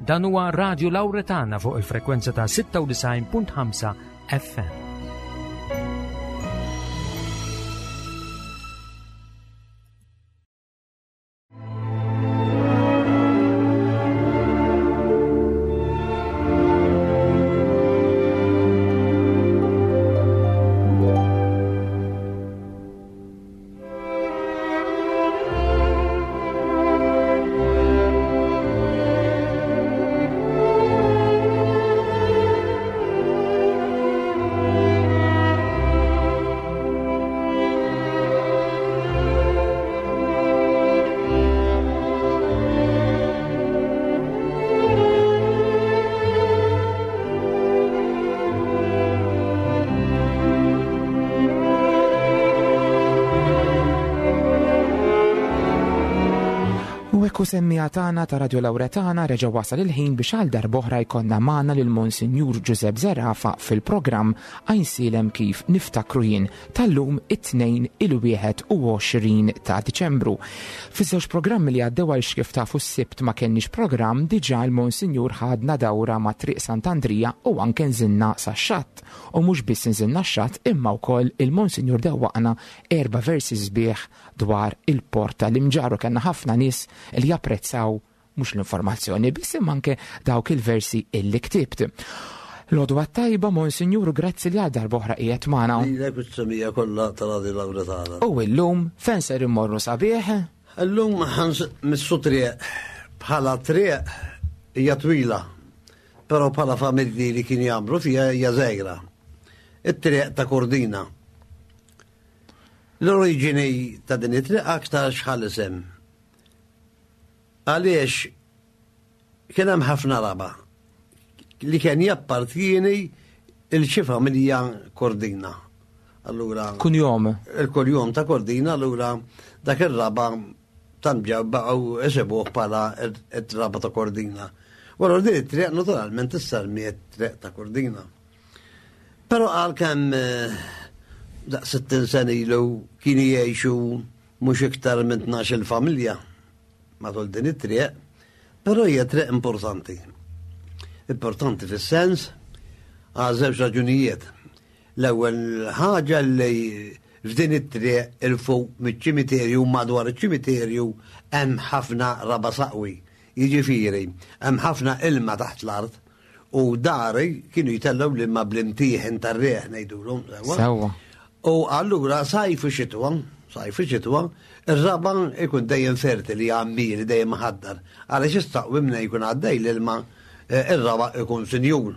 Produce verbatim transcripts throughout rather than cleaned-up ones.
Dan huwa Radio Lauretana fuq il-frekwenza ta' sitta u disgħin punt ħamsa F M. U ekku, semmiegħa tagħna ta' Radio Lauretana, reġa' wasal il-ħin biex għal darb'oħra jkollna magħna lil Monsinjur Giuseppe Zerafa fil-programm Għajnsielem Kif Niftakru Jien tal-lum, it-Tnejn, il-wieħed u għoxrin ta' Diċembru. Fiż-żewġ programmi li għaddew, għal kif tafu s-Sibt ma kenniex programm, diġà l-Monsinjur ħadna dawra ma' Triq Sant'Andrija u anke nżilna sa' xatt. U mhux biss nżilna x-xatt, imma wkoll il-Monsinjur dewwaqna erba' versi sbieħ dwar il-port tal-Imġarr u kellna ħafna nies li japprezzaw mhux l-informazzjoni biss, imma anke dawk il-versi illi ktibt. L-għodwa tajba, Monsinjur, grazzi li għal darb'oħra qiegħed magħna. Lilek u s-semmiegħa kollha ta' Radio Lauretana. U illum fejn ser immorru sabiħ? Illum ħa mmissu triq. Bħala triq hija twila, però bħala familji li kien jagħmlu fiha hija żgħira. It-triq ta' Kordina. L-oriġini ta' din it-triq aktar xħal isem. Għaliex kien hemm ħafna raba li kien jappartieni lil xi familja Kordina. Allura Kunjom. Il-kunjom ta' Kordina, allura dak ir-raba tamġa baqgħu isibuh bħala ir-raba ta' Kordina. Wara din it-triq naturalment issemmiet triq ta' Kordina. Però għalkemm eh, daq sittin sena ilu kienu jgħixu mhux iktar minn tnax-il familja matul din it-triq, però hija triq importanti. Importanti fis-sens għal żewġ raġunijiet. L-ewwel ħaġa li f'din it-triq 'il fuq miċ-ċimiterju, madwar iċ-ċimiterju, hemm ħafna raba saqwi. Jiġifieri, hemm ħafna ilma taħt l-art u dari kienu jtellgħu l-ilma bl-imtieħen tar-riħ ngħidulhom. Sewwa? Sewwa. U allura sajf u xitwa, sajf u xitwa, ir-raba ikun dejjem fertili, għammieli, dejjem ħaddar. Għaliex istaqwi minna jkun għaddej l-ilma, eh, ir-raba ikun sinjur.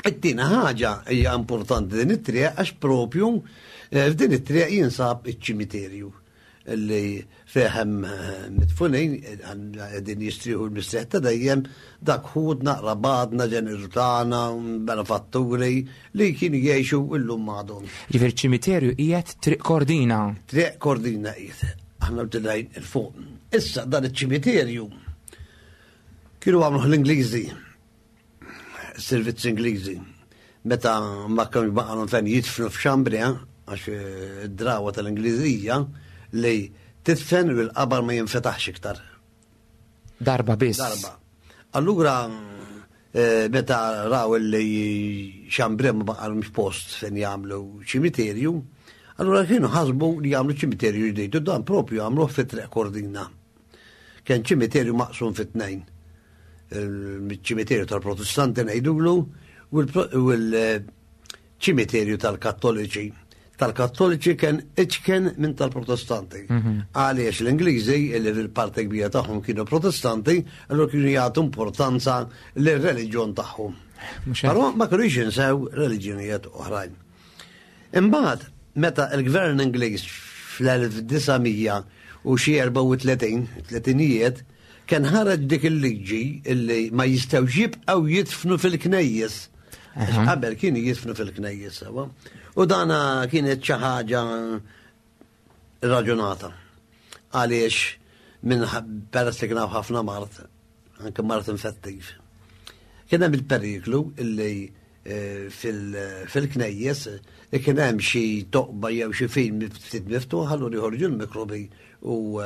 It-tieni ħaġa, hija importanti din it-triq għax propju eh, f'din it-triq jinsab iċ-ċimiterju li fih hemm eh, midfunin qegħdin jistrieħu l-mistrieħ ta' dejjem dak ħutna, qrabatna, ġenituri tagħna, benefatturi li kienu jgħixu, illum m'għadhom. Ġifieri ċimiterju qiegħed Triq Kordina. Triq Kordina qiegħed. Aħna bdejn 'il fuq. Issa dan iċ-ċimiterju kienu għamluh l-Ingliżi, servizz Ingliżi. Meta ma kienx baqgħu fejn jidfnu f'Xambria, għax eh, id-drawa tal-Ingliżija li tidfen u l-qabar ma jinfetaħx iktar. Darba biss. Darba. Allura eh, meta raw li Xambria ma baqgħalhomx post fejn jagħmlu ċimiterju, allura kienu ħasbu li jagħmlu ċimiterju ġdid u dan propju għamluh fi Triq Kordina. Kien ċimiterju maqsum fi tnejn. Il-ċimiterju tal-Protestanti ngħidulu u l-ċimiterju tal-Kattoliċi. Tal-Kattoliċi kien iċken minn tal-Protestanti. Għaliex l-Ingliżi, li fil-parti kbira tagħhom kienu Protestanti, allura kienu jagħtu importanza lir-reliġjon tagħhom. Mhux hekk? Però ma kienux jinsew reliġjonijiet oħrajn. Imbagħad, meta il-gvern Ingliż fl-elf disa' mija u xi erbgħa u tletin, tletinijiet, kien ħareġ dik il-liġi illi ma jistgħux jibqgħu jidfnu fil-knejjes. Għax qabel kienu jidfnu fil-knejjes sewwa. U dana kienet xi ħaġa raġunata. Għaliex minn peress li kien hawn ħafna mard, anke mard infettiv. Kien hemm il-periklu illi fil-knejjes kien hemm xi toqba jew xi film ftit miftuħ, allura jħorġu l-mikrobi u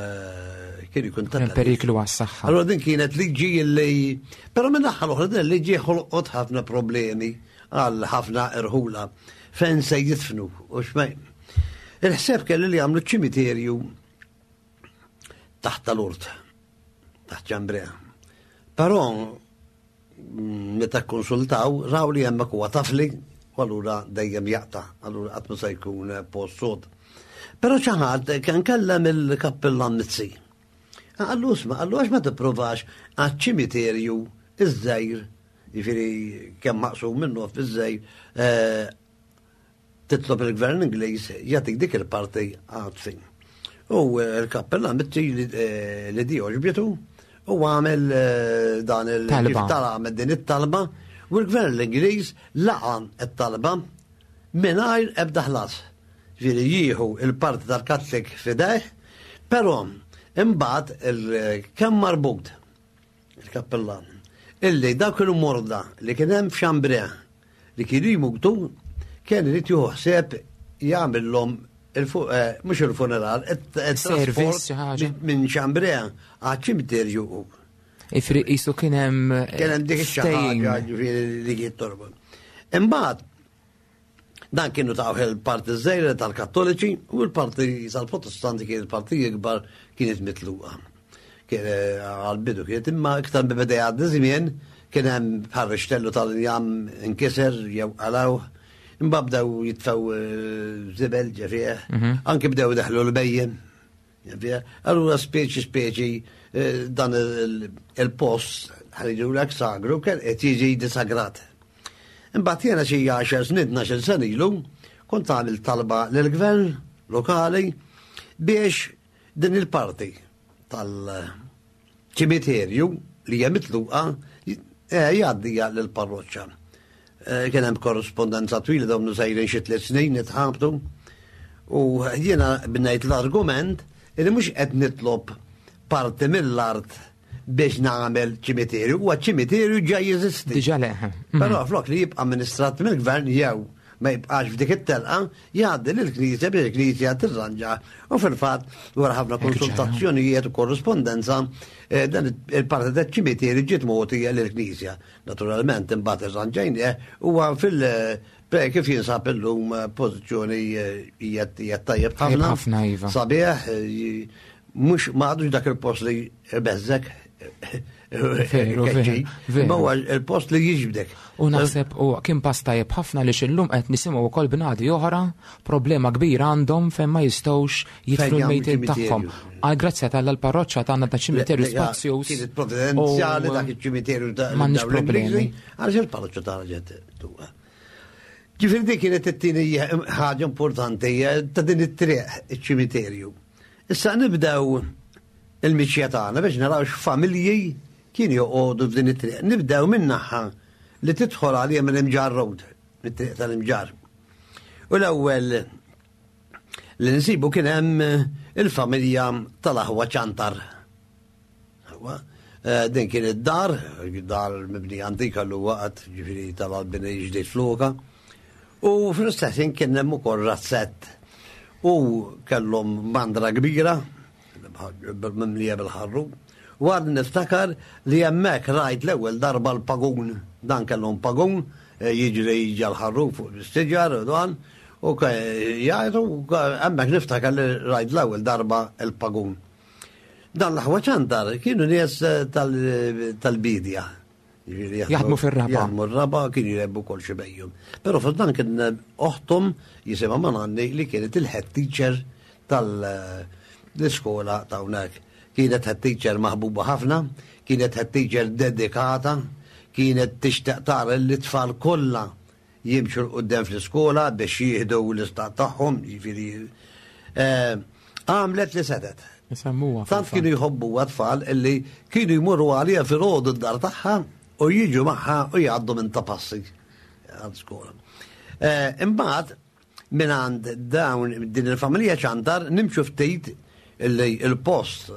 kien ikun ta' periklu għas-saħħa. Allura din kienet liġi li però minn naħa l-oħra din liġi ħolqot ħafna problemi għal ħafna irħula fejn se jidfnu u xmej. Il-ħsieb kelli li jagħmlu ċimiterju taħt tal-urt, taħt Ċambrea. Però meta konsultaw, raw li hemmhekk huwa tafli, u allura dejjem jaqta', allura qatt ma se jkun post sod. Però xi ħadd kien kellem il-kappillan Mizzi. Qallu isma', qallu għax ma tippruvax għaċ-ċimiterju iż-żgħir, jiġifieri kemm maqsum minnu fiż-żgħir, titlob il-gvern Ingliż jagħtik dik il-parti għad-dfin. U l-kappillan Mizzi li di għoġbitu u għamel dan il-talba, għamel din it-talba, u l-gvern l-Ingliż laqa it-talba mingħajr ebda ħlas. Ġifieri jieħu il-parti tal-Katlik fideh, però imbagħad kemm marbut il-kappellan illi dak il-morda li kien hemm f'Chambray li kienu jmutu kien irid jieħu ħsieb jagħmilhom mhux il-funeral, it-trasport minn Chambray għaċ-ċimiterju. Ifri qisu kien hemm kien hemm dik ix-xi ġifieri li kien torbot. Imbagħad dan kienu taw il-parti żgħira tal-Kattoliċi u l-parti tal-Protestanti kien il-parti ikbar kienet mitluqa. Kien għal-bidu kienet imma iktar bi beda jgħaddi żmien kien hemm bħal rixtellu tal-injam inkiser jew qalgħu. Imbagħad bdew jitfgħu żibel ġefieħ, anke bdew daħlu l-bejjem. Allura speċi speċi dan il-post ħaridulek sagru kien qed jiġi disagrat. Imbagħad jiena xi għaxar snin, tnax-il sena ilu, kont għamil talba lill-gvern lokali biex din il-parti tal-ċimiterju li hija mitluqa jgħaddija lill-parroċċa. Kien hemm korrispondenza twila dawn sejrin xi tliet snin nitħabtu u jiena bnejt l-argument li mhux qed nitlob parti mill-art biex nagħmel ċimiterju, huwa ċimiterju ġa jeżisti. Diġà le. Però flok li jibqa' amministrat mill-gvern jew ma jibqax f'dik it-telqa, jgħaddi lill-Knisja biex il-Knisja tirranġa. U fil-fatt wara ħafna konsultazzjonijiet u korrispondenza, dan il-parti taċ-ċimiterju ġiet mogħtija lill-Knisja. Naturalment imbagħad irranġajnieh huwa fil kif jinsab illum pożizzjoni hija tajjeb ħafna. Ħafna iva. Sabiħ, mhux ma għadux dak il-post li beżżek. Veru, veru. Ma huwa il-post li jiġbdek. U naħseb u kien pass tajjeb ħafna li xillum qed nisimgħu wkoll bnadi oħra problema kbira għandhom fejn ma jistgħux jidfnu l-mejtin tagħhom. Għal grazzja tal l-parroċċa tagħna ta' ċimiterju spazjuż. Kienet providenzjali dak iċ-ċimiterju ta' m'għandniex problemi. Għaliex il-parroċċa tagħna ġiet tuqa. Ġifieri dik kienet it-tieni ħaġa importanti ta' din it-triq iċ-ċimiterju. Issa nibdew il-miċja tagħna biex naraw x'familji kien joqogħdu f'din it-triq. Nibdew minn naħa li tidħol għalija minn Imġarr Road, mit-triq tal-Imġarr. U l-ewwel li nsibu kien hemm il-familja tal-aħwa Ċantar. Din kien id-dar, dar mibni antika l waqt, ġifieri tal-albini ġdid fluka. U fl-istess ħin kien hemm ukoll razzett. U kellhom mandra kbira, mimlija bil-ħarru. U għad niftakar li hemmhekk rajt l-ewwel darba l-pagun. Dan kellhom pagun jiġri ġal-ħarru fuq l-istiġar u dan. U jgħidu hemmhekk niftakar li rajt l-ewwel darba l-pagun. Dan l-aħwa Ċantar kienu nies tal-bidja. Jaħdmu fir-raba. Jaħdmu r-raba, kienu jrebbu kol xi bejjum. Però f'dan kien oħtom jisimha Mananni li kienet il-head teacher tal-iskola ta' hawnhekk. Kienet head teacher maħbuba ħafna, kienet head teacher dedikata, kienet tixtieq tara li t-tfal kollha jimxu l quddiem fl-iskola biex jieħdu l-istat tagħhom, jiġifieri għamlet li setet. Isemmuha. Tant kienu jħobbuha tfal illi kienu jmorru għaliha filgħodu d-dar tagħha u jiġu magħha u jgħaddu minn ta' passi għal skola. Imbagħad minn għand dawn din il-familja Ċantar nimxu ftit illi il-post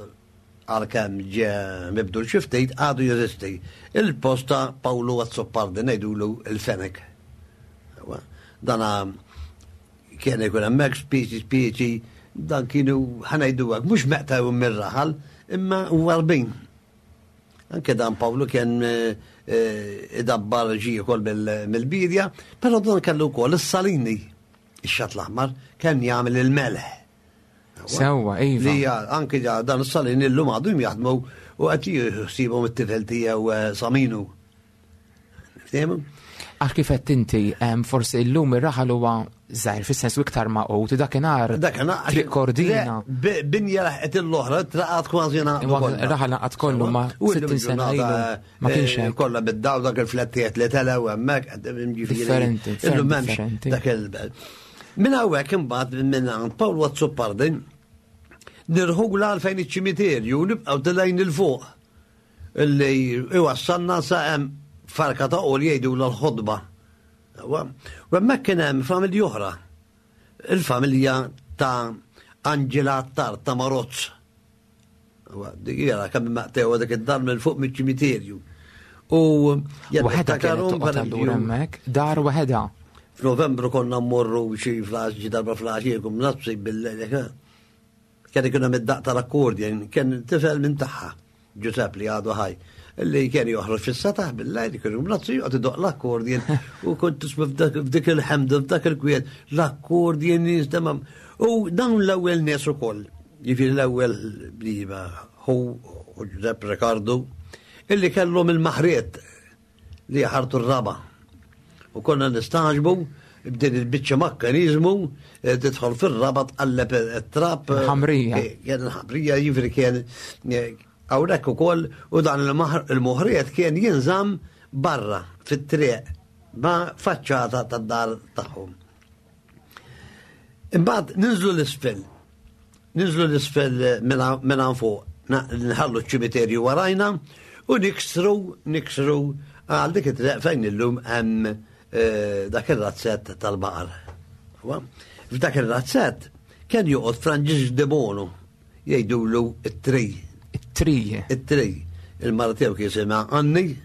għalkemm ġie mibdul xi ftit għadu jeżisti. Il-post ta' Pawlu Azzopardi ngħidulu il-Fenek. Dana kien ikun hemmhekk spiċi spiċi, dan kienu ħa ngħidu hekk mhux meqtaw mir-raħal, imma warbin. Anke dan Pawlu kien eh, eh, idabbar ġi ukoll mill-bidja, però dan kellu wkoll is-salini, ix-xatt l-aħmar, kien jagħmel il-melħ. Sewwa, iva. Li anke dan is-salini llum għadhom jaħdmu u qed jħsibhom it-tifel tiegħu eh, Saminu. Ftehmu? Għax kif qed inti, forsi llum ir-raħal huwa żgħir fis-sens iktar maqgħud, dakinhar Triq Kordina. Binja laħqet l-oħra, traqat kważi naqdu. Raħal naqgħad kollu ma sittin sena ilu ma kienx hekk. Kollha bid-daw dak il-flettijiet li telgħu hemmhekk, Differenti, illum m'hemmx dak il Minn hawnhekk imbagħad minn għand Pawl Azzopardi nirħula għal fejn iċ-ċimiterju nibqgħu tilgħin il fuq illi iwassalna sa hemm farka ta' qol jgħidu l-ħodba. U hemmhekk kien hemm familja oħra. Il-familja ta' Angela Attard ta' Marozz. Dik jara kemm maqtew dik id-dar minn fuq miċ-ċimiterju. U waħedha kienet toqgħod allura hemmhekk, dar waħedha. F'Novembru konna mmorru xi flax ġi darba flax nafsi bil-lejl. Kien ikun hemm id-daq tal-accordion, kien tifel minn tagħha, Giuseppe li għadu ħaj, li kien joħroġ fis-sataħ bil-lejl, kien mlazzi joqgħod idoq l-accordion u kont tisma' f'dik il-ħemda, f'dak il-kwiet, l-accordion jinstema'. U dawn l-ewwel nies ukoll, jiġifieri l-ewwel bliba hu u Giuseppe Ricardo, illi kellhom il-maħriet li ħartu r-raba. U konna nistaġbu b'din il-biċċa makkanizmu tidħol fir-raba tqalleb it-trab. Ħamrija. Kien il-ħamrija, jiġifieri kien hawnhekk ukoll, u dan il-moħriet kien jinżamm barra fit-triq ma' faċċata tad-dar tagħhom. Imbagħad ninżlu l-isfel. Ninżlu l-isfel minn hawn fuq, nħallu ċ-ċimiterju warajna u niksru, niksru għal dik it-triq fejn illum hemm dak ir-razzett tal-baqar. F'dak ir-razzett kien joqgħod Franġisk de Bono, jgħidulu it-tri. It-tri. It-tri. Il-mara tiegħu kien jisimha Anni.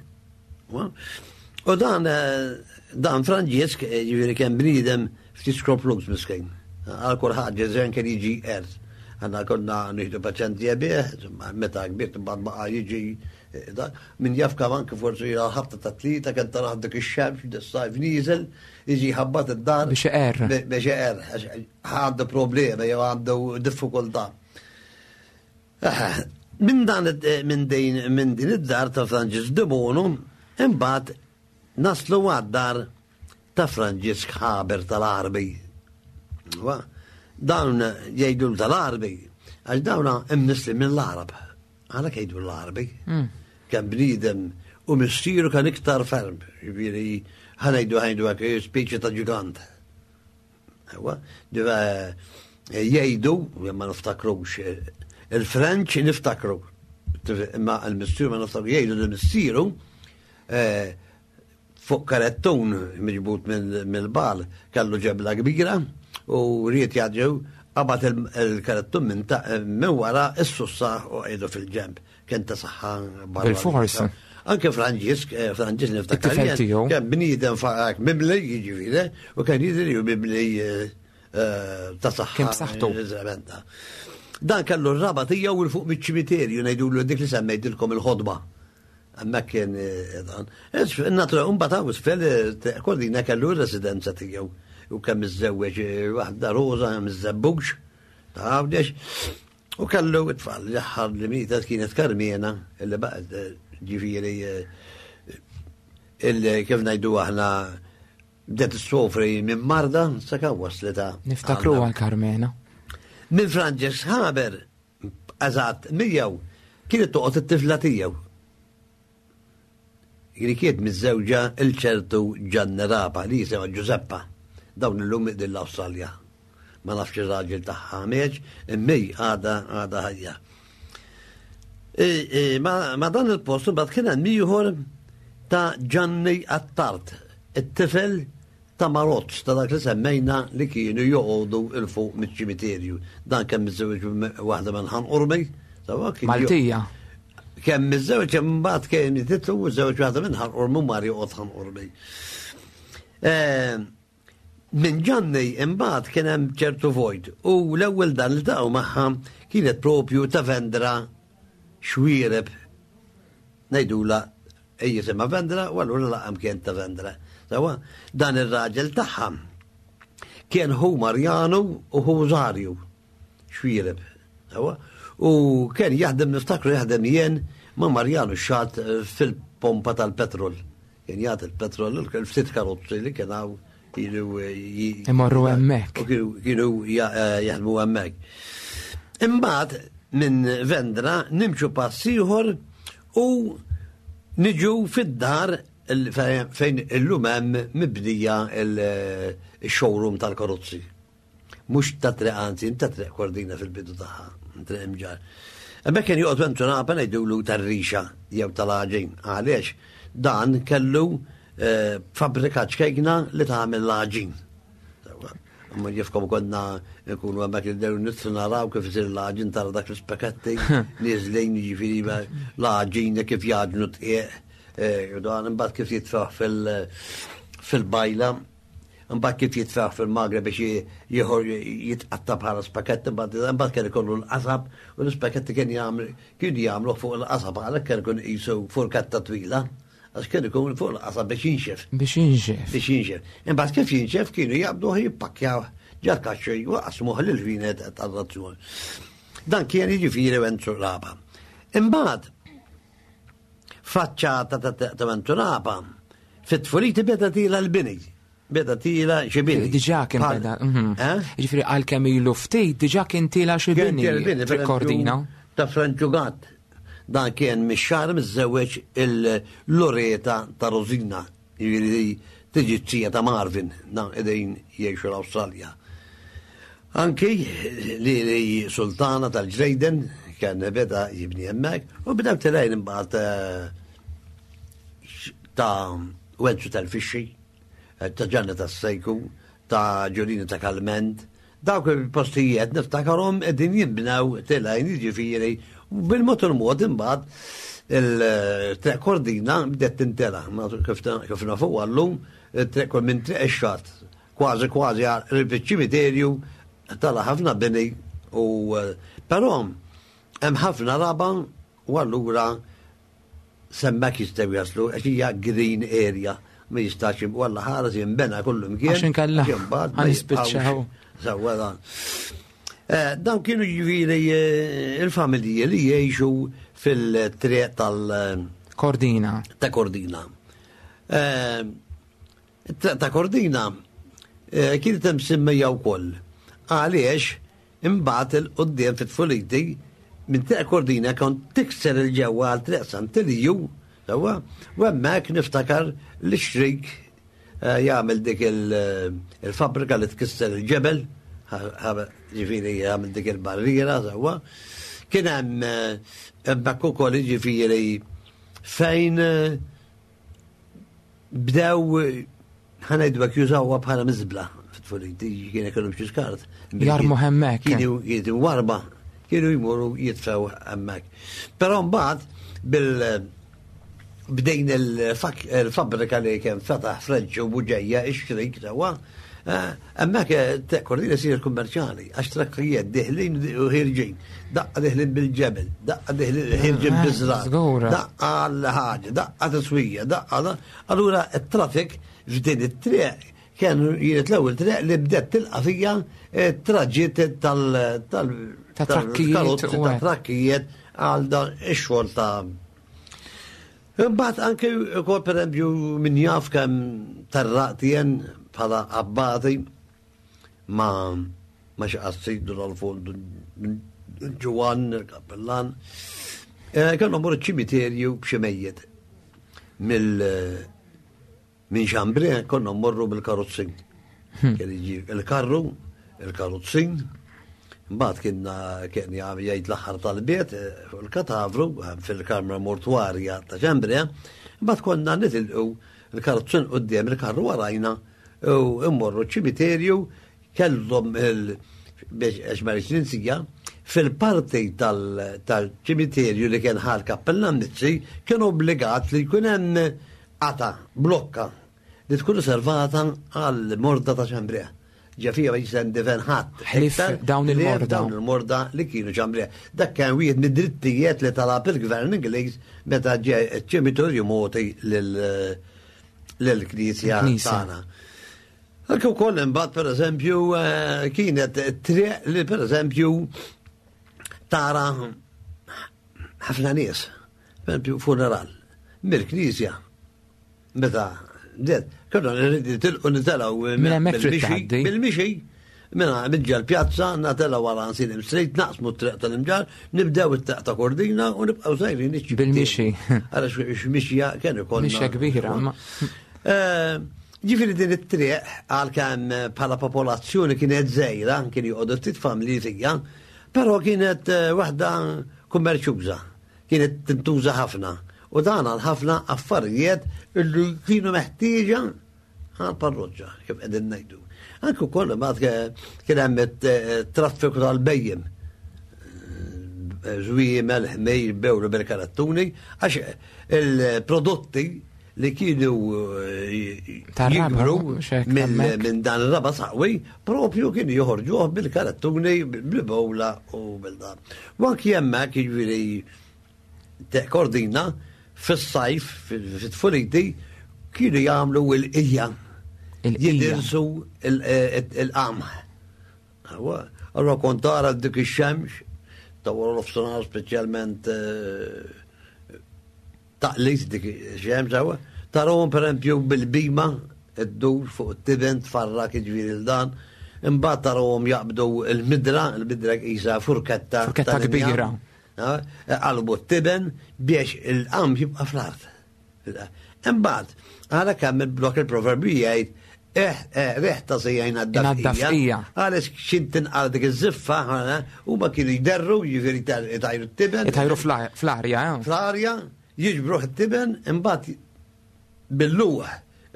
U dan dan Franġisk, jiġifieri kien bniedem ftit skroplus miskin. Għal kull ħaġa żejn kien jiġi qers. Għandna konna nieħdu paċenzja bih, meta kbir imbagħad baqa' jiġi min jaf kemm anke forsi ħabta ta' tlieta kien taraħ dik ix-xemx, dis-sajf nieżel, jiġi ħabbat id-dar. Biex iqerr. Biex iqerr, għandu problema jew għandu diffikultà. Minn dan minn din minn din id-dar ta' Franġisk de Bono, imbagħad naslu għad-dar ta' Franġisk Haber tal-Arbi. Dawn jgħidu tal-Arbi, għax dawn imnisli mill-Arab. Għalhekk jgħidu l-Arbi. Kien bniedem u missieru kien iktar ferm, jiġifieri ħa ngħidu ħa ngħidu hekk speċi ta' ġigant. Jgħidu, ma niftakrux, il-French niftakru, imma l-missieru ma niftakru, jgħidu li missieru fuq karettun miġbut mill-bal kellu ġebla kbira u ried jgħadġew qabad il-karettun minn wara s-sussa u qiegħdu fil-ġemb. Kien ta' saħħa barra. Bil-fors. Anke Franġisk, Franġisk niftakar. Kien bniedem faqak mimli, jiġifieri, u kien jidri u mimli ta' saħħa. Kien b'saħħtu. Dan kellu r-raba tiegħu il fuq miċ-ċimiterju ngħidulu dik li semmejtilkom il-ħodba. Hemmhekk kien dan. Natura mbagħad hawn isfel Kordina kellu r-residenza tiegħu u kemm iżżewweġ waħda Rosa miż-Żebbuġ ta' Għawdex u kellu t-tfal l-aħħar li mietet kienet Karmena illi baqgħet ġifieri illi kif ngħidu aħna bdiet issofri minn marda sakemm waslitha. Niftakru għal Karmena. Minn Franġisk Haber eżatt miegħu kienet toqgħod it-tifla tiegħu. Li kienet miżżewġa il-ċertu Gianni Rapa li jisimha Giuseppa. Dawn illum din l-Awstralja. Ma nafx ir-raġel tagħha meġ, imma għadha għadha ħajja. Ma dan il-post imbagħad kien hemm ieħor ta' Gianni Attard, it-tifel ta' Marozz, ta' dak li semmejna li kienu joqogħdu il fuq miċ-ċimiterju. Dan kemm miżżewġ waħda minn Ħan Qormi, Maltija. Kemm miżżewġ imbagħad kien titlu miżżewġ waħda minn Ħan Qormi mar joqgħod Ħan Qormi. Minn Ġanni imbagħad kien hemm ċertu vojt u l-ewwel dan li taqgħu magħha kienet propju ta' Vendra Xwiereb. Ngħidula jisimha Vendra u allura laqam kien ta' Vendra. Sawa, dan ir-raġel tagħha kien hu Marjanu u hu Zarju Xwiereb. Sawa, u kien jaħdem, niftakru jaħdem jien ma' Marjanu xat fil-pompa tal-petrol. Kien jagħti il-petrol il-ftit karozzi li kien hawn kienu imorru hemmhekk. U kienu jaħdmu hemmhekk. Imbagħad minn Vendra nimxu pass ieħor u niġu fid-dar fejn illum hemm mibnija il-showroom tal-karozzi. Mhux ta' Triq, anzi, ta' Triq Kordina fil-bidu tagħha, Triq Imġar. Hemmhekk kien joqgħod Wenzu Napa ngħidulu tar-rixa jew tal-għaġin. Għaliex dan kellu fabbrika ċkejkna li tagħmel l-għaġin. Imma jifkom konna nkunu hemmhekk nibdew nitlu naraw kif isir l-għaġin, tara dak l-ispaketti niżlin, jiġifieri l-għaġin kif jaġnu tqiegħ, u dan imbagħad kif jitfaħ fil-bajla, imbagħad kif jitfaħ fil-magra biex jieħor jitqatta bħala spaketti, imbagħad kien ikollu l-qasab u l-ispaketti kien jagħmel kienu jagħmlu fuq il-qasab, għalhekk kien ikun qisu furkatta twila. Għax kien ikun fuq l-qasab biex jinxef. Biex jinxef. Biex jinxef. Imbagħad kif jinxef kienu jaqbduh jippakkjaw ġal kaxxi u qasmuh lil vinet tar-razzjon. Dan kien jiġifieri Wenzu Raba. Imbagħad faċċata ta' Wenzu Raba fit-tfuliti beda tila l-bini. Beda tila xi bini. Diġà kien beda. Jiġifieri għalkemm ilu ftit diġà kien tila xi bini. Kordina. Ta' Franċu Gatt. Dan kien mix-xahar miżżewweġ il-Loreta ta' Rosina, jiġifieri tiġi t-tija ta' Marvin, dan qegħdin jgħixu l-Awstralja. Anki li li Sultana tal-Ġrejden kien beda jibni hemmhekk u bdew tilgħin imbagħad ta' Wenzu tal-Fixxi, ta' Ġanna tas-Sejku, ta' Ġulina ta' Kalment. Dawk il-postijiet niftakarhom qegħdin jinbnew tilgħin, jiġifieri bil-mod il-mod imbagħad il-Triq Kordina bdiet tintela. Kif nafu għallum, it-triq minn Triq ix-Xatt kważi kważi qrib iċ-ċimiterju tala ħafna bini u però hemm ħafna raba u allura semmek jistgħu jaslu għax hija green area, ma jistax walla ħares jinbena kullu mkien. Għax inkella ħanispiċċaw. Sewwa dan. Dawn kienu jiġifieri il-familji li jgħixu fil-triq tal- Kordina. Ta' Kordina. Ta' Kordina kienet hemm semmejja wkoll. Għaliex imbagħad il-quddiem fit-tfuliti minn Triq Kordina kont tikser il-ġewwa għal Triq Sant'Eliju, sewwa, u hemmhekk niftakar li xrik jagħmel dik il-fabbrika li tkisser il-ġebel, ġifieri jagħmel dik il-barriera, sewwa. Kien hemm hemmhekk ukoll jiġifieri fejn bdew ħanejdu hekk jużawha bħala miżbla fit-tfuliti, kien ikollhom xi skart. Jarmu hemmhekk. Kienu jidu warba, kienu jmorru jitfgħu hemmhekk. Però mbagħad bil bdejn il-fabbrika li kien fetaħ Frenċ u Buġeja ix-xrik sewwa, hemmhekk Triq Kordina sir kummerċjali għax trakkijiet diħlin u ħirġin. Daqqa diħlin bil-ġebel, daqqa diħlin ħirġin biż-żrar, daqqa l-ħaġa, daqqa tiswija, daqqa. Allura t-traffic f'din it-triq kien jienet l-ewwel triq li bdiet tilqa' fija traġiet tal tal-trakkijiet għal dan ix-xogħol ta' Imbagħad anke wkoll pereżempju min jaf kemm tarraqtien bħala abbati ma ma xi qassidu l-fold Ġwann il-kappellan. Kellhom morru ċimiterju b'xi mejjet mill minn Xambri konna mmorru bil-karozzin. Kien jiġi il-karru, il-karozzin, mbagħad kien kien jgħid l-aħħar tal-biet fuq il-katavru fil-kamra mortwarja ta' Xambri, mbagħad konna nitilqu il-karozzin quddiem il-karru warajna u mmorru ċimiterju kellhom il biex għax ma rridx ninsija, fil-parti tal-ċimiterju li kien ħal kappellan Mizzi kien obbligat li jkun hemm qata, blokka li tkun riservata għal morda ta' Ċambrija. Ġafija ma jista' jindifen ħadd. Ħlief dawn il-morda. Dawn il-morda li kienu Ċambrija. Dak kien wieħed mid-drittijiet li talab il-gvern Ingliż meta ġie ċ-ċimitorju mogħti lill-Knisja tagħna. Anke wkoll imbagħad pereżempju kienet triq li pereżempju tara ħafna nies, pereżempju funeral mill-Knisja. Meta bdiet, konna nitilqu nitelgħu bil-mixi, bil-mixi, minna minn pjazza, natelgħu wara Nsilim Street, naqsmu t-triq tal-Imġarr, nibdew it-triq ta' Kordina u nibqgħu sejrin Bil-mixi. Għalax mixja kien ikollna. Mixja kbira. Ġifieri din it-triq għalkemm bħala popolazzjoni kienet żgħira, kien joqogħdu ftit familji fiha, però kienet waħda kummerċjuża, kienet tintuża ħafna. U dan għal ħafna affarijiet illi kienu meħtieġa għal parroċċa, kif qegħdin ngħidu. Anke wkoll imbagħad kien hemm it-traffiku tal-bejjem. Żwiemel, ħmejr, bewlu bil-karattuni, għax il-prodotti li kienu jikbru minn dan ir-raba' saqwi, propju kienu joħorġuh bil-karattuni, bil-bowla u bil-dan. U anki hemmhekk jiġifieri Kordina fis-sajf, fit-tfuliti, kienu jagħmlu l-qija. Jidirsu il-qamħ. Allora kont tara dik ix-xemx, ta' wara nofsinhar speċjalment taqlis dik ix-xemx hawn, tarahom pereżempju bil-bima ddur fuq it-tiben tfarrak jiġifieri l dan, imbagħad tarahom jaqbdu l-midra, il-midra qisha furketta. Furketta kbira. Qalbu t-tiben biex il-qamħ jibqa' fl-art. Imbagħad, għala kemm il-blok il-proverbju jgħid riħ ta' sejjajna d-dafqija. Għaliex x'int tinqal dik iż-żiffa, huma kienu jderru, jiġifieri itajru t-tiben. Itajru fl-arja. Fl-arja, jiġbruh it-tiben, imbagħad bil-luħ,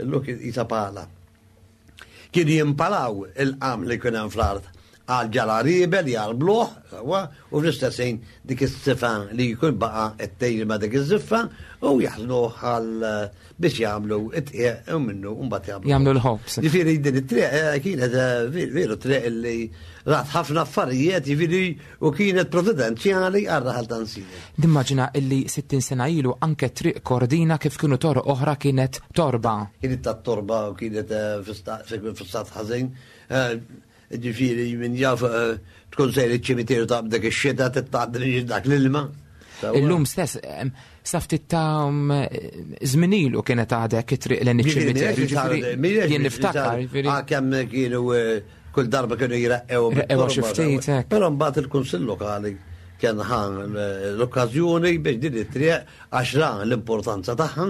il-luħ jisa pala. Kienu jimpalaw il-qam li kien hemm fl-art għal ġalaribel jarbluh, u fl-istess ħin dik is-sifa li jkun baqa' t-tejri ma' dik iż-żiffa u jaħżnuh għal biex jagħmlu it-tqiegħ u minnu mbagħad jagħmlu. Jagħmlu l-ħobż. Jiġifieri din it-triq kienet veru triq li rat ħafna affarijiet, jiġifieri u kienet providenzjali għar-raħal ta' Nsieli. Nimmaġina illi sittin sena ilu anke triq Kordina kif kienu toroq oħra kienet torba. Kienet ta' torba u kienet fi stat ħażin. Ġifieri min jaf tkun sejr iċ-ċimiterju ta' dik ix-xita titgħaddi dak l-ilma. Illum stess, sa ftit ta' żmien ilu kienet għadek it-triq lejn iċ-ċimiterju. Jien niftakar. Kemm kienu kull darba kienu jraqqew. Raqqew xi ftit. Però mbagħad il-Kunsill Lokali kien ħa l-okkażjoni biex din it-triq għax ra l-importanza tagħha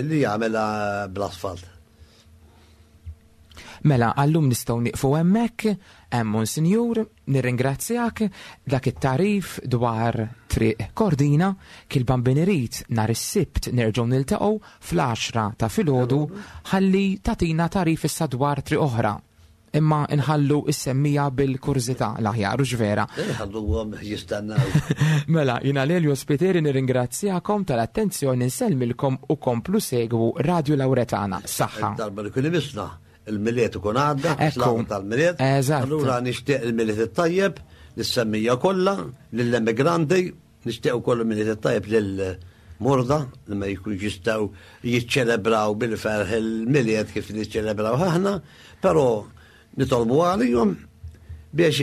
li jagħmilha bl-asfalt. Mela, għallum nistgħu nieqfu hemmhekk, hemm Monsinjur, nirringrazzjak dak it-tarif dwar triq Kordina, kil Bambin irid nhar is-Sibt nerġgħu niltaqgħu fl-għaxra ta' filgħodu ħalli tagħtina tarif issa dwar triq oħra. Imma nħallu is-semmija bil-kurżità l-aħjar, u vera. Nħalluhom jistennew. Mela, jiena Lelio Spiteri nirringrazzjakom tal-attenzjoni, nsellmilkom u komplu segwu Radio Lauretana. Saħħa. Darba li kien imisna il-Milied ikun għadda, Ekku. tal-Milied. Eżatt. Allura nixtieq il-Milied it-tajjeb, lis-semmija kollha, lill-emigranti, nixtieq ukoll il-Milied it-tajjeb lil-morda li ma jkunx jistgħu jiċċelebraw bil-ferħ il-Milied kif niċċelebraw aħna, però nitolbu għalihom biex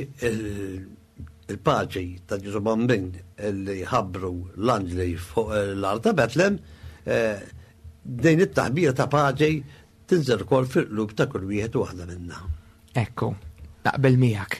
il-paċi ta' Ġesù Bambin li ħabbru l-anġli fuq l-art ta' Betlem, din it-taħbira ta' paċi tinżel ukoll fil-qlub ta' kull wieħed u waħda minna. Ekku, naqbel miegħek.